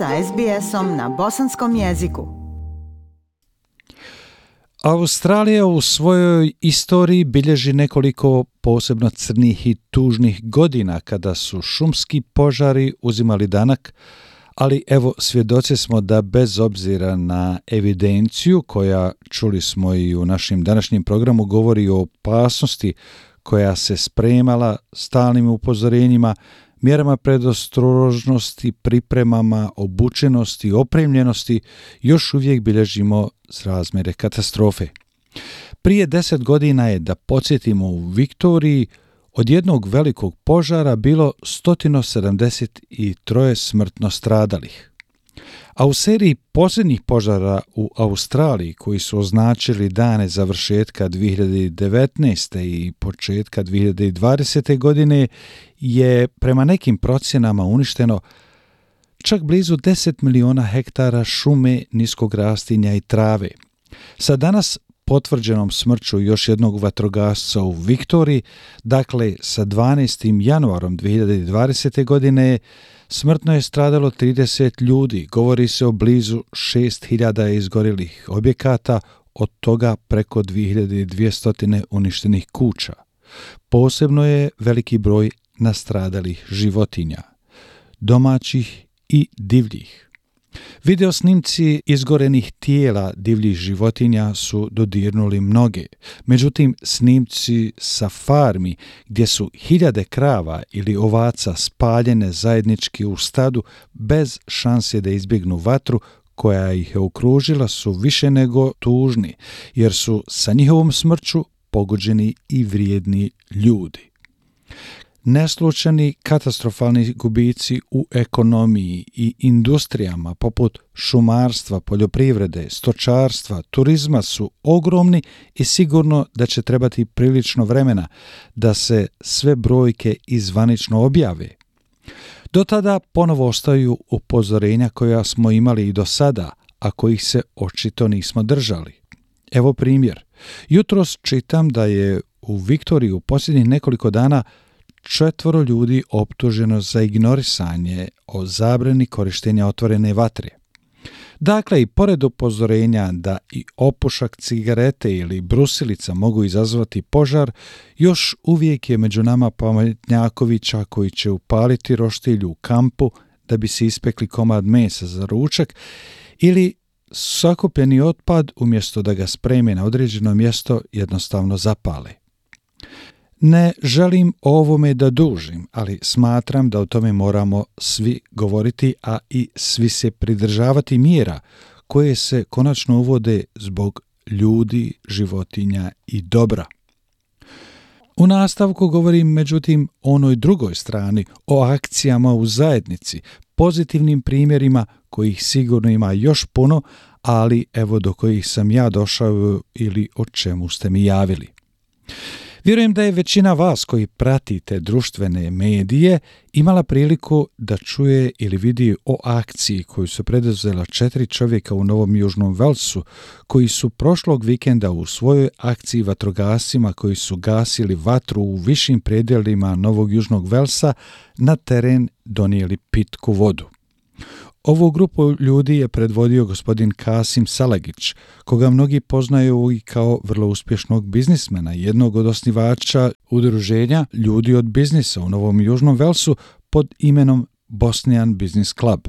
sa SBS-om na bosanskom jeziku. Australija u svojoj istoriji bilježi nekoliko posebno crnih i tužnih godina kada su šumski požari uzimali danak, ali evo svjedoci smo da bez obzira na evidenciju koja, čuli smo i u našim današnjem programu, govori o opasnosti koja se spremala, stalnim upozorenjima, mjerama predostrožnosti, pripremama, obučenosti i opremljenosti, još uvijek bilježimo razmjere katastrofe. Prije 10 godina je, da podsjetimo, u Viktoriji od jednog velikog požara bilo 173 smrtno stradalih. A u seriji posljednjih požara u Australiji, koji su označili dane završetka 2019. i početka 2020. godine, je prema nekim procjenama uništeno čak blizu 10 miliona hektara šume, niskog rastinja i trave. Sa danas potvrđenom smrću još jednog vatrogasca u Viktoriji, dakle sa 12. januarom 2020. godine, smrtno je stradalo 30 ljudi. Govori se o blizu 6.000 izgorjelih objekata, od toga preko 2.200 uništenih kuća. Posebno je veliki broj nastradalih životinja, domaćih i divljih. Video snimci izgorenih tijela divljih životinja su dodirnuli mnoge. Međutim, snimci sa farmi gdje su hiljade krava ili ovaca spaljene zajednički u stadu bez šanse da izbjegnu vatru koja ih je okružila su više nego tužni, jer su sa njihovom smrću pogođeni i vrijedni ljudi. Neslučajni katastrofalni gubici u ekonomiji i industrijama poput šumarstva, poljoprivrede, stočarstva, turizma su ogromni i sigurno da će trebati prilično vremena da se sve brojke izvanično objave. Do tada ponovo ostaju upozorenja koja smo imali i do sada, a kojih se očito nismo držali. Evo primjer. Jutros čitam da je u Viktoriji u posljednjih nekoliko dana 4 ljudi optuženo za ignorisanje o zabrani korištenja otvorene vatre. Dakle, i pored upozorenja da i opušak cigarete ili brusilica mogu izazvati požar, još uvijek je među nama pametnjakovića koji će upaliti roštilj u kampu da bi se ispekli komad mesa za ručak ili sakupljeni otpad, umjesto da ga spreme na određeno mjesto, jednostavno zapale. Ne želim o ovome da dužim, ali smatram da o tome moramo svi govoriti, a i svi se pridržavati mjera koje se konačno uvode zbog ljudi, životinja i dobra. U nastavku govorim međutim o onoj drugoj strani, o akcijama u zajednici, pozitivnim primjerima kojih sigurno ima još puno, ali evo do kojih sam ja došao ili o čemu ste mi javili. Vjerujem da je većina vas koji pratite društvene medije imala priliku da čuje ili vidi o akciji koju su preduzela 4 čovjeka u Novom Južnom Velsu, koji su prošlog vikenda u svojoj akciji vatrogascima koji su gasili vatru u višim predjelima Novog Južnog Velsa na teren donijeli pitku vodu. Ovu grupu ljudi je predvodio gospodin Kasim Salagić, koga mnogi poznaju i kao vrlo uspješnog biznismena, jednog od osnivača udruženja Ljudi od biznisa u Novom Južnom Velsu pod imenom Bosnian Business Club.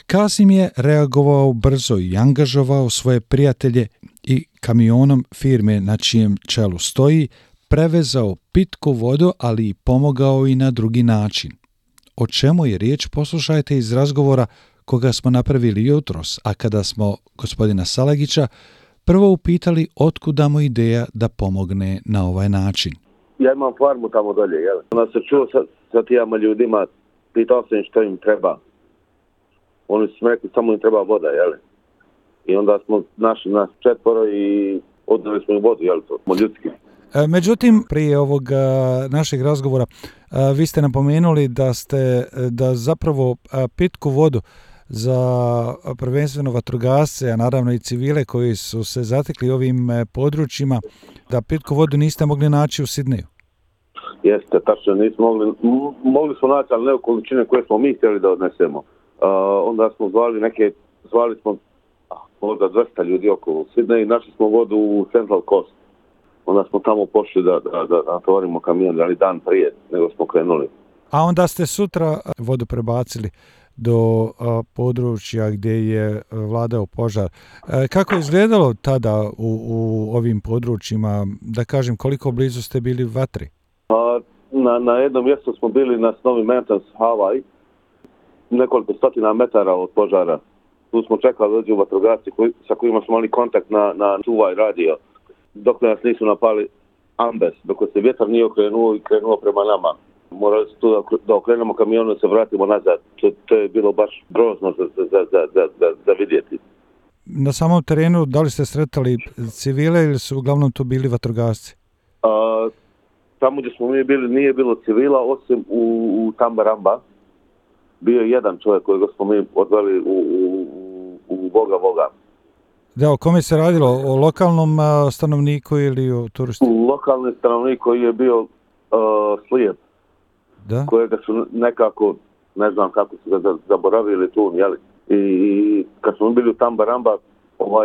Kasim je reagovao brzo i angažovao svoje prijatelje i kamionom firme na čijem čelu stoji prevezao pitku vodu, ali i pomogao i na drugi način. O čemu je riječ, poslušajte iz razgovora koga smo napravili jutros, a kada smo gospodina Salagića prvo upitali otkuda mu ideja da pomogne na ovaj način. Ja imam farmu tamo dolje, jel? Onda se čuo sa tijama ljudima, pitao sam što im treba. Oni su rekli samo im treba voda, jel? I onda smo našli nas 4 i odnijeli smo im vodu, jel? To smo ljudski. Međutim, prije ovog našeg razgovora vi ste napomenuli da zapravo pitku vodu za prvenstveno vatrogasce, a naravno i civile koji su se zatekli ovim područjima, da pitku vodu niste mogli naći u Sidneju. Jeste, tačno nismo mogli smo naći, ali ne u količine koje smo mi htjeli da odnesemo. Onda smo zvali smo možda 200 ljudi oko Sidneja i našli smo vodu u Central Coast. Onda smo tamo pošli da natovarimo kamion, ali dan prije nego smo krenuli. A onda ste sutra vodu prebacili do područja gdje je vladao požar. Kako je izgledalo tada u ovim područjima? Da kažem, koliko blizu ste bili vatri? Na jednom mjestu smo bili na Snowy Mountains, Hawaii, nekoliko stotina metara od požara. Tu smo čekali dođu vatrogasci sa kojima smo imali kontakt na čuvaj radio, dok nas nisu napali ambes, dok se vjetar nije okrenuo i krenuo prema nama. Morali su tu da okrenemo kamionu i se vratimo nazad. To je bilo baš grozno za vidjeti. Na samom terenu, da li ste sretali civile ili su uglavnom tu bili vatrogasci? Tamo gdje smo mi bili nije bilo civila, osim u Tambaramba. Bio je jedan čovjek kojeg smo mi odveli u Voga. Da, o kome se radilo? O lokalnom stanovniku ili o turistu? Lokalni stanovnik koji je bio slijep. Da? Kojega su nekako, ne znam kako su ga zaboravili tu, jeli? I kad smo bili u Tambaramba,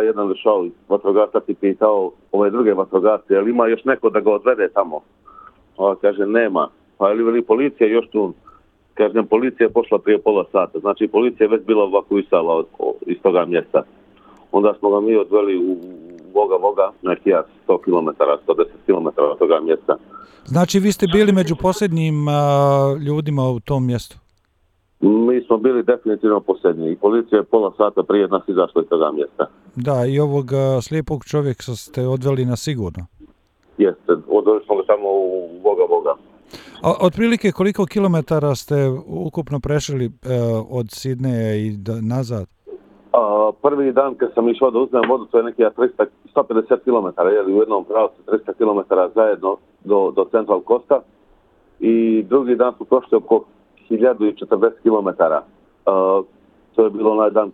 jedan došao vatrogasac i pitao ove druge vatrogasce, jel ima još neko da ga odvede tamo? Kaže, nema. Pa je li policija još tu? Kažem, policija je pošla prije pola sata. Znači, policija je već bila evakuisala iz toga mjesta. Onda smo ga mi odveli u Voga, neki 100 km, 110 km od toga mjesta. Znači, vi ste bili među posljednjim ljudima u tom mjestu? Mi smo bili definitivno posljednji i policija je pola sata prije nas izašla iz toga mjesta. Da, i ovog slijepog čovjeka ste odveli na sigurno? Jeste, odveli smo ga samo u Voga. Otprilike koliko kilometara ste ukupno prešli od Sidneja i nazad? Prvi dan kad sam išao da uzmem vodu, to je neki 150 km, jeli u jednom pravcu 300 km zajedno do Central Coasta. I drugi dan smo prošli oko 1040 km. To je bilo onaj dan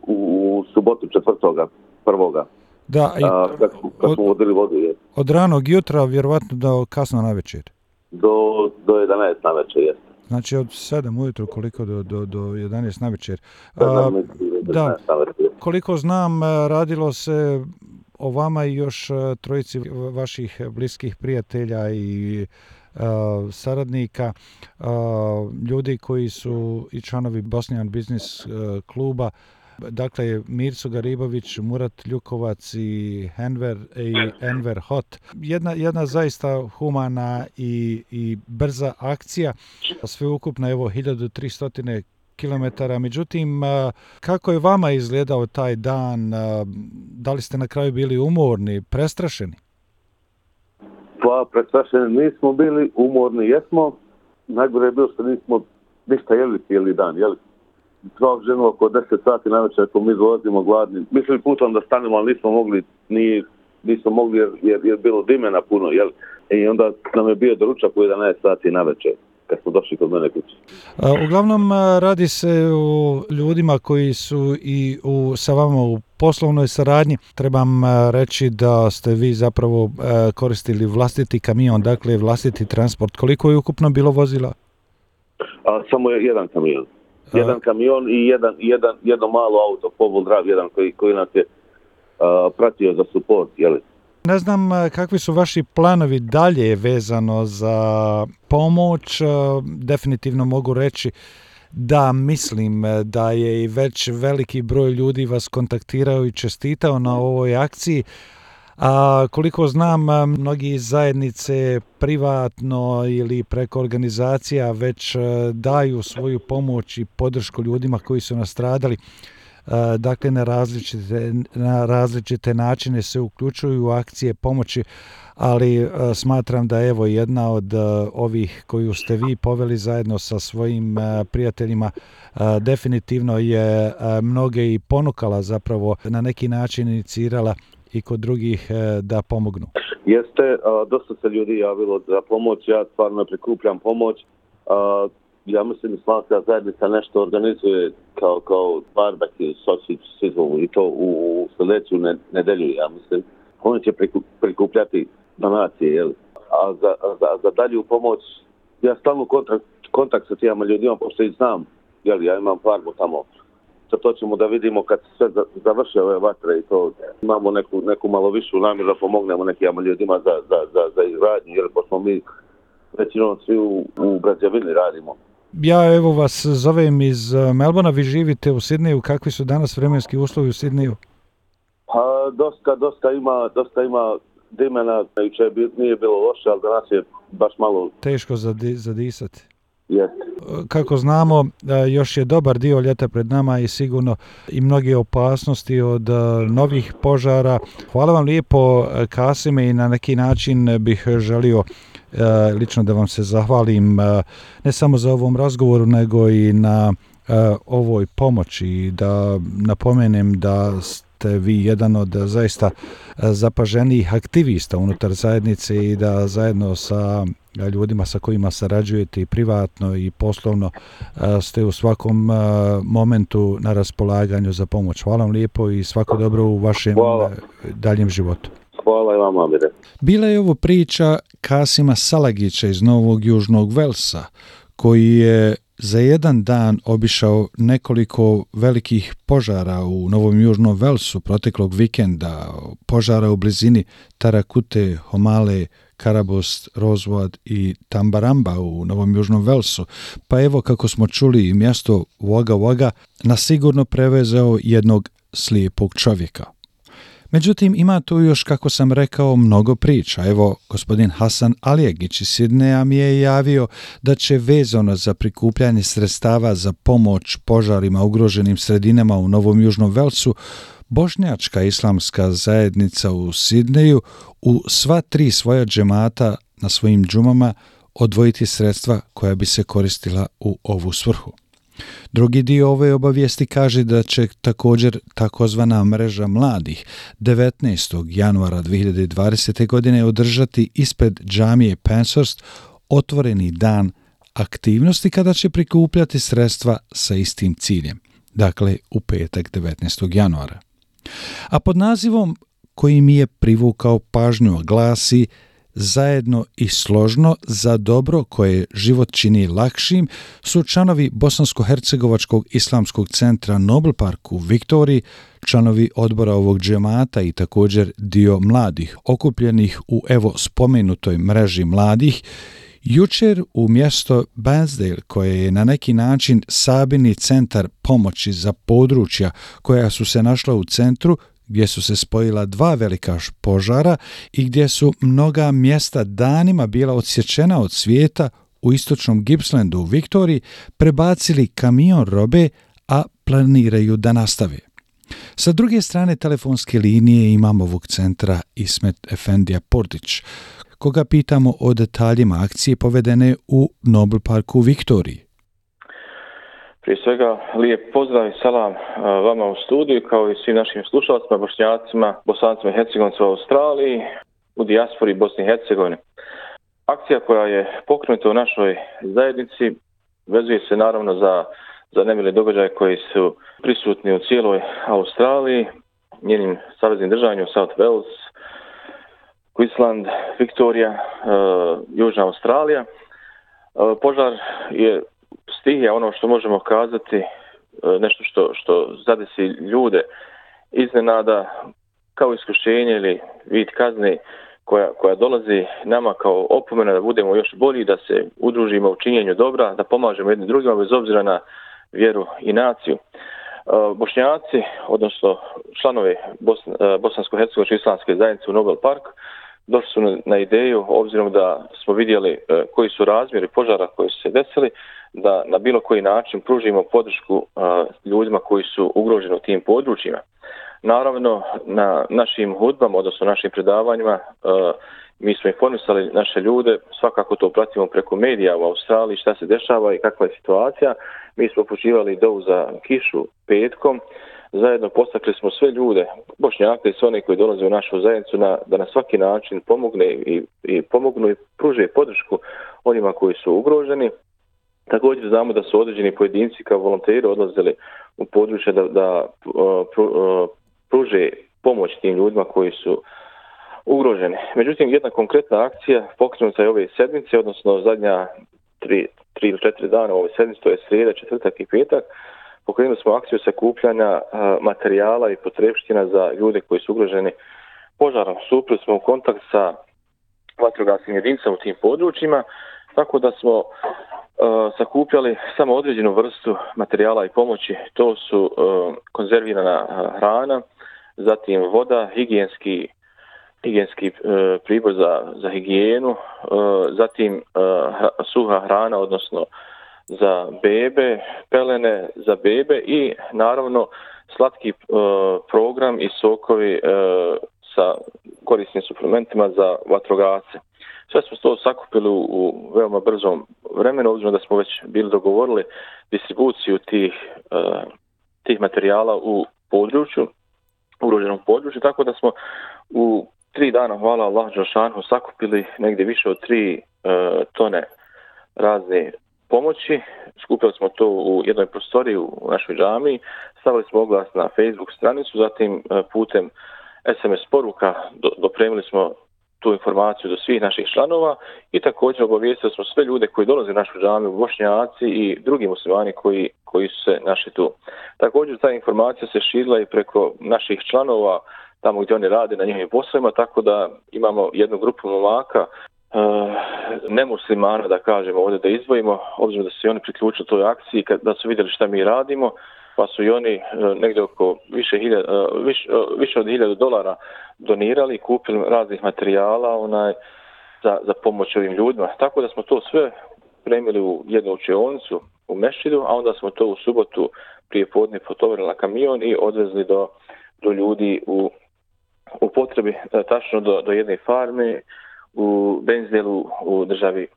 u subotu 4.1. Da, kad smo vodili vodu. Od ranog jutra, vjerovatno do kasno navečer? Do 11 navečer, jeste. Znači od 7 ujutro koliko do 11 navečer. Da, koliko znam, radilo se o vama i još trojici vaših bliskih prijatelja i saradnika, ljudi koji su i članovi Bosnian Business kluba. Dakle, Mirco Garibović, Murat Ljukovac i Enver Hot. Jedna zaista humana i brza akcija. Sveukupno, evo, 1300 km. Međutim, kako je vama izgledao taj dan? Da li ste na kraju bili umorni, prestrašeni? Pa, prestrašeni nismo bili, umorni jesmo. Najgore je bilo što nismo ništa jeli cijeli dan, jeli? Svak ženu oko 10 sati navečer ako mi dolazimo gladni. Mislili putom da stanemo, ali nismo mogli jer je bilo dimena puno, jel? I onda nam je bio doručak u 11 sati navečer kad smo došli kod mene kući. Uglavnom radi se o ljudima koji su i sa vama u poslovnoj saradnji. Trebam reći da ste vi zapravo koristili vlastiti kamion, dakle vlastiti transport. Koliko je ukupno bilo vozila? Samo je jedan kamion. Jedan kamion i jedno malo auto, four-wheel drive, jedan koji nas je pratio za support, jeli? Ne znam kakvi su vaši planovi dalje vezano za pomoć. Definitivno mogu reći da mislim da je i već veliki broj ljudi vas kontaktirao i čestitao na ovoj akciji. A koliko znam, mnogi iz zajednice privatno ili preko organizacija već daju svoju pomoć i podršku ljudima koji su nastradali. Dakle, na različite načine se uključuju u akcije pomoći, ali smatram da evo jedna od ovih koju ste vi poveli zajedno sa svojim prijateljima definitivno je mnoge i ponukala, zapravo na neki način inicirala i kod drugih da pomognu. Jeste, dosta se ljudi javilo za pomoć, ja stvarno prikupljam pomoć. Ja mislim da Islamska zajednica nešto organizuje kao barbecue, sausage sizzle i to u sljedeću nedelju, ja mislim. Oni će prikupljati donacije, jel? A za dalju pomoć, ja stalno kontakt sa tijama ljudima, pošto ih znam ja imam farmu tamo. To ćemo da vidimo kad se sve završe ove vatre i to imamo neku malo višu namjeru da pomognemo nekim ljudima za izgradnju, jer pošto mi većinom svi u građevini radimo. Ja evo vas zovem iz Melbourna, vi živite u Sidneju, kakvi su danas vremenski uslovi u Sidneju? Pa dosta ima dimena, jučer nije bilo loše, ali danas je baš malo teško zadisati. Yes. Kako znamo, još je dobar dio ljeta pred nama i sigurno i mnoge opasnosti od novih požara. Hvala vam lijepo, Kasime, i na neki način bih želio lično da vam se zahvalim ne samo za ovom razgovoru, nego i na ovoj pomoći, i da napomenem da ste vi jedan od zaista zapaženijih aktivista unutar zajednice i da zajedno sa ljudima sa kojima sarađujete i privatno i poslovno ste u svakom momentu na raspolaganju za pomoć. Hvala vam lijepo i svako dobro u vašem daljem životu. Hvala i vama, Amire. Bila je ovo priča Kasima Salagića iz Novog Južnog Velsa, koji je za jedan dan obišao nekoliko velikih požara u Novom Južnom Velsu proteklog vikenda, požara u blizini Tarakute, Homale, Karabost, Rosewood i Tambaramba u Novom Južnom Velsu. Pa evo, kako smo čuli, mjesto Wagga Wagga nasigurno prevezao jednog slijepog čovjeka. Međutim, ima tu još, kako sam rekao, mnogo priča. Evo, gospodin Hasan Alijegić iz Sidneja mi je javio da će vezano za prikupljanje sredstava za pomoć požarima ugroženim sredinama u Novom Južnom Velsu Bošnjačka islamska zajednica u Sidneju u sva 3 svoja džemata na svojim džumama odvojiti sredstva koja bi se koristila u ovu svrhu. Drugi dio ove obavijesti kaže da će također takozvana mreža mladih 19. januara 2020. godine održati ispred džamije Penshurst otvoreni dan aktivnosti kada će prikupljati sredstva sa istim ciljem, dakle u petak 19. januara. A pod nazivom koji mi je privukao pažnju glasi Zajedno i složno za dobro koje život čini lakšim su članovi Bosansko-hercegovačkog islamskog centra Nobel Park u Viktoriji, članovi odbora ovog džemata i također dio mladih okupljenih u evo spomenutoj mreži mladih, jučer u mjesto Bansdale, koje je na neki način sabirni centar pomoći za područja koja su se našla u centru, gdje su se spojila 2 velika požara i gdje su mnoga mjesta danima bila odsječena od svijeta u istočnom Gippslandu u Viktoriji, prebacili kamion robe, a planiraju da nastave. Sa druge strane telefonske linije imamo ovog centra Ismet Efendija Portić, koga pitamo o detaljima akcije povedene u Nobel Parku u Viktoriji. Prije svega, lijep pozdrav i salam vama u studiju, kao i svim našim slušalcima, Bošnjacima, Bosancima i Hercegovancima u Australiji, u dijaspori Bosni i Hercegovine. Akcija koja je pokrenuta u našoj zajednici vezuje se naravno za nemile događaje koji su prisutni u cijeloj Australiji, njenim saveznim državama, South Wales, Queensland, Viktorija, Južna Australija. Požar je stihija, ono što možemo kazati, nešto što zadesi ljude iznenada kao iskušenje ili vid kazne koja dolazi nama kao opomena da budemo još bolji, da se udružimo u činjenju dobra, da pomažemo jedni drugima bez obzira na vjeru i naciju. Bošnjaci, odnosno članovi Bosansko-hercegovačke islamske zajednice u Nobel Park, došli su na ideju, obzirom da smo vidjeli koji su razmjeri požara koji su se desili, da na bilo koji način pružimo podršku ljudima koji su ugroženi u tim područjima. Naravno, na našim hudbama, odnosno našim predavanjima, mi smo informisali naše ljude, svakako to pratimo preko medija u Australiji, šta se dešava i kakva je situacija. Mi smo upućivali dovu za kišu petkom, zajedno postakli smo sve ljude, Bošnjake i sve one koji dolaze u našu zajednicu, da na svaki način pomognu i pruže podršku onima koji su ugroženi. Također znamo da su određeni pojedinci kao volonteri odlazili u područje da pruže pomoć tim ljudima koji su ugroženi. Međutim, jedna konkretna akcija pokrenuta je ove sedmice, odnosno zadnja 3 ili 4 dana u ovoj sedmici, to je srijeda, četvrtak i petak, pokrenuli smo akciju sakupljanja materijala i potrepština za ljude koji su ugroženi požarom. Stupili smo u kontakt sa vatrogasnim jedinicama u tim područjima, tako da smo sakupljali samo određenu vrstu materijala i pomoći. To su konzervirana hrana, zatim voda, higijenski pribor za higijenu, zatim suha hrana, odnosno za bebe, pelene za bebe i naravno slatki program i sokovi sa korisnim suplementima za vatrogasce. Sve smo to sakupili u veoma brzom vremenu, obzirom da smo već bili dogovorili distribuciju tih materijala u području, ugroženom području, tako da smo u 3 dana, hvala Allah dželešanu, sakupili negdje više od 3 tone razne pomoći. Skupili smo to u jednoj prostoriji u našoj džamiji, stavili smo oglas na Facebook stranicu, zatim putem SMS poruka dopremili smo tu informaciju do svih naših članova i također obavijestili smo sve ljude koji dolaze u našu džamiju, Bošnjaci i drugi muslimani koji su se našli tu. Također ta informacija se širila i preko naših članova tamo gdje oni rade na njihovim poslovima, tako da imamo jednu grupu momaka nemuslimana, da kažemo ovdje da izdvojimo, obzirom da su i oni priključili toj akciji, da su vidjeli šta mi radimo, pa su i oni negdje oko više od $1000 donirali i kupili raznih materijala za pomoć ovim ljudima. Tako da smo to sve premili u jednu učionicu u mešćidu, a onda smo to u subotu prije podne potovarili na kamion i odvezli do ljudi u potrebi, tačno do jedne farme u Benzelu u državi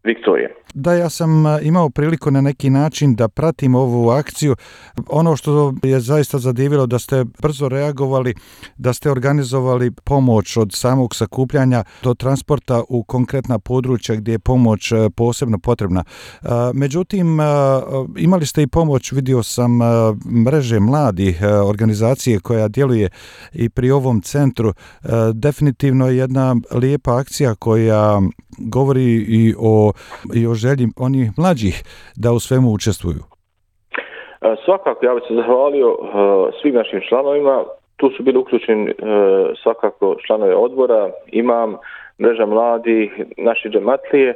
Viktorije. Da, ja sam imao priliku na neki način da pratim ovu akciju. Ono što je zaista zadivilo da ste brzo reagovali, da ste organizovali pomoć od samog sakupljanja do transporta u konkretna područja gdje je pomoć posebno potrebna. Međutim, imali ste i pomoć, vidio sam, mreže mladih, organizacije koja djeluje i pri ovom centru. Definitivno je jedna lijepa akcija koja govori i o želji onih mlađih da u svemu učestvuju. Svakako, ja bih se zahvalio svim našim članovima. Tu su bili uključeni svakako članovi odbora, imam, mreža mladih, naši džematlije.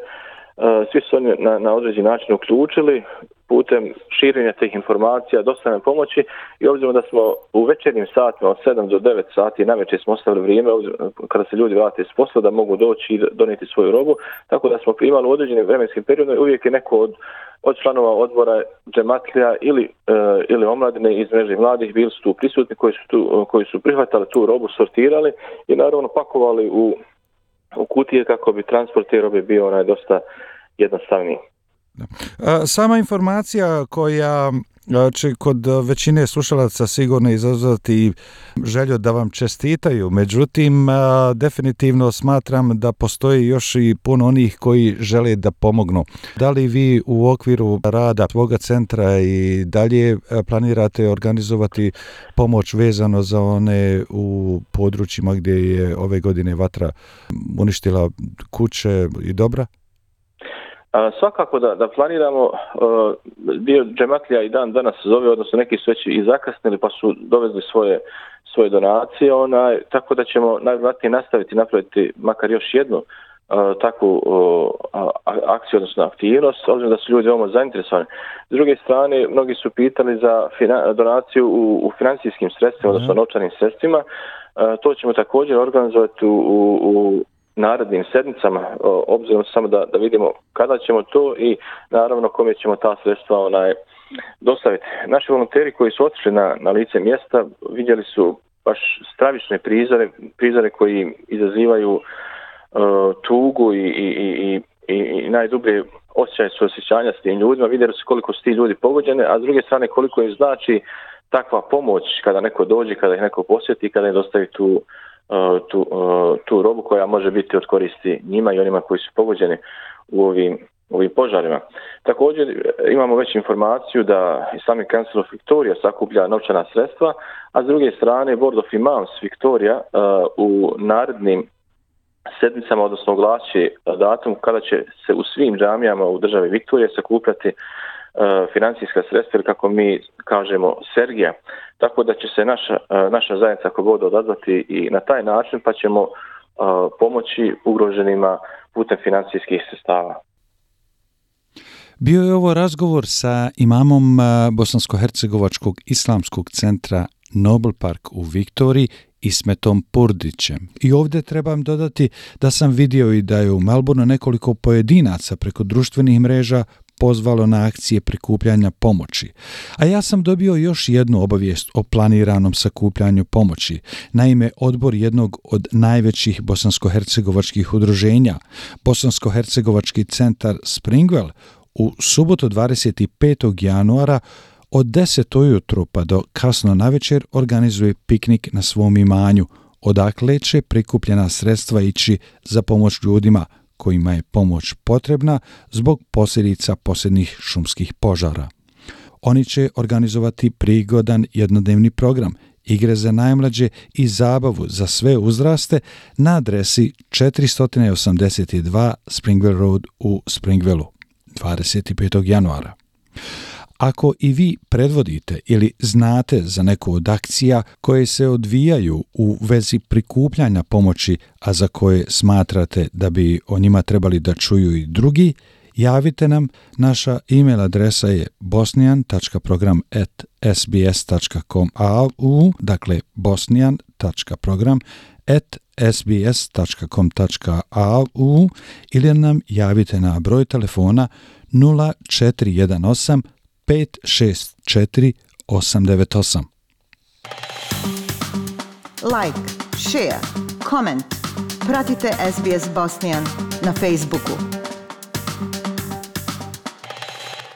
Svi su oni na određeni način uključili putem širenja tih informacija, dostavljanja pomoći i obzirom da smo u večernjim satima od 7 do 9 sati navečer smo ostavili vrijeme kada se ljudi vrate iz posla da mogu doći i donijeti svoju robu, tako da smo primali u određenim vremenskim periodima i uvijek je neko od članova odbora džematlija ili omladine iz mreže mladih bili su tu prisutni koji su prihvatali tu robu, sortirali i naravno pakovali u kutije kako bi transport te robe bio dosta jednostavniji. Sama informacija koja će kod većine slušalaca sigurno izazvati želju da vam čestitaju, međutim definitivno smatram da postoji još i puno onih koji žele da pomognu. Da li vi u okviru rada svoga centra i dalje planirate organizovati pomoć vezano za one u područjima gdje je ove godine vatra uništila kuće i dobra? Svakako da planiramo, dio džematlija i dan danas zove, odnosno neki su već i zakasnili pa su dovezli svoje donacije, tako da ćemo najvjerojatnije nastaviti napraviti makar još jednu takvu akciju, odnosno aktivnost, obzirom da su ljudi veoma zainteresovani. S druge strane, mnogi su pitali za donaciju u financijskim sredstvima, odnosno novčanim sredstvima. To ćemo također organizovati u narednim sedmicama, obzirom samo da vidimo kada ćemo to i naravno kome ćemo ta sredstva dostaviti. Naši volonteri koji su otišli na lice mjesta vidjeli su baš stravične prizore koji izazivaju tugu i najdublje osjećaje suosjećanja s tim ljudima. Vidjeli su koliko su ti ljudi pogođeni, a s druge strane koliko im znači takva pomoć kada neko dođe, kada ih neko posjeti, kada im dostavi tu robu koja može biti od koristi njima i onima koji su pogođeni u ovim požarima. Također imamo već informaciju da Islamic Council of Victoria sakuplja novčana sredstva, a s druge strane Board of Imams Victoria u narednim sedmicama, odnosno oglasit datum kada će se u svim džamijama u državi Viktorije sakupljati financijska sredstva, ili kako mi kažemo Sergija. Tako da će se naša zajednica ako god odazvati i na taj način, pa ćemo pomoći ugroženima putem financijskih sredstava. Bio je ovo razgovor sa imamom Bosansko-hercegovačkog islamskog centra Nobel Park u Viktoriji, Ismetom Purdićem. I ovdje trebam dodati da sam vidio i da je u Melbourneu nekoliko pojedinaca preko društvenih mreža pozvalo na akcije prikupljanja pomoći. A ja sam dobio još jednu obavijest o planiranom sakupljanju pomoći. Naime, odbor jednog od najvećih bosansko-hercegovačkih udruženja, Bosansko-hercegovački centar Springwell, u subotu 25. januara od 10 ujutro pa do kasno navečer organizuje piknik na svom imanju, odakle će prikupljena sredstva ići za pomoć ljudima kojima je pomoć potrebna zbog posljedica posljednjih šumskih požara. Oni će organizovati prigodan jednodnevni program, igre za najmlađe i zabavu za sve uzraste na adresi 482 Springwell Road u Springwellu 25. januara. Ako i vi predvodite ili znate za neku od akcija koje se odvijaju u vezi prikupljanja pomoći, a za koje smatrate da bi o njima trebali da čuju i drugi, javite nam. Naša e-mail adresa je bosnian.program@sbs.com.au, dakle bosnian.program@sbs.com.au, ili nam javite na broj telefona 0418 564 898. Like, share, comment. Pratite SBS Bosnian na Facebooku.